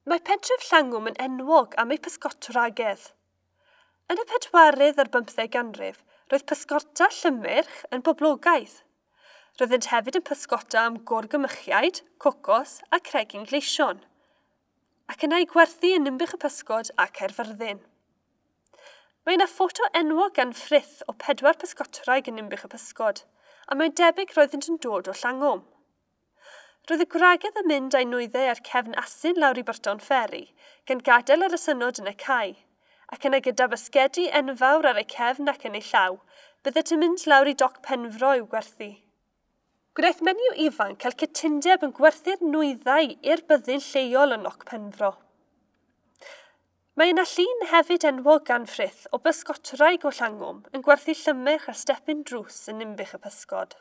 Mae pentref Llangwm yn enwog am ei pysgotwragedd. Yn y 15 ganrif, roedd pysgota llymyrch yn boblogaidd. Roeddent hefyd yn pysgota am gorgymychiaid, cocos a cregyn gleision, ac yna eu gwerthu yn Ninbych y Pysgod a Caerfyrddin. Mae yna ffoto enwog gan Frith o 4 pysgotwraig yn Ninbych y Pysgod, a mae'n debyg roeddynt yn dod o Llangwm. Roedd y gwragedd yn mynd â'i nwyddau ar cefn asyn lawr i Burton Ferry, gan gadael yr asynod yn y cae, ac yna gyda basgedi enfawr ar eu cefn ac yn eu llaw, byddet yn mynd lawr i Doc Penfro i'w gwerthu. Gwnaeth menyw ifanc cael cytundeb yn gwerthu'r nwyddau i'r byddin lleol yn Noc Penfro. Mae yna llun hefyd enwog gan Frith o bysgotwraig o Llangwm yn gwerthu llymyrch ar stepyn drws yn Ninbych y Pysgod.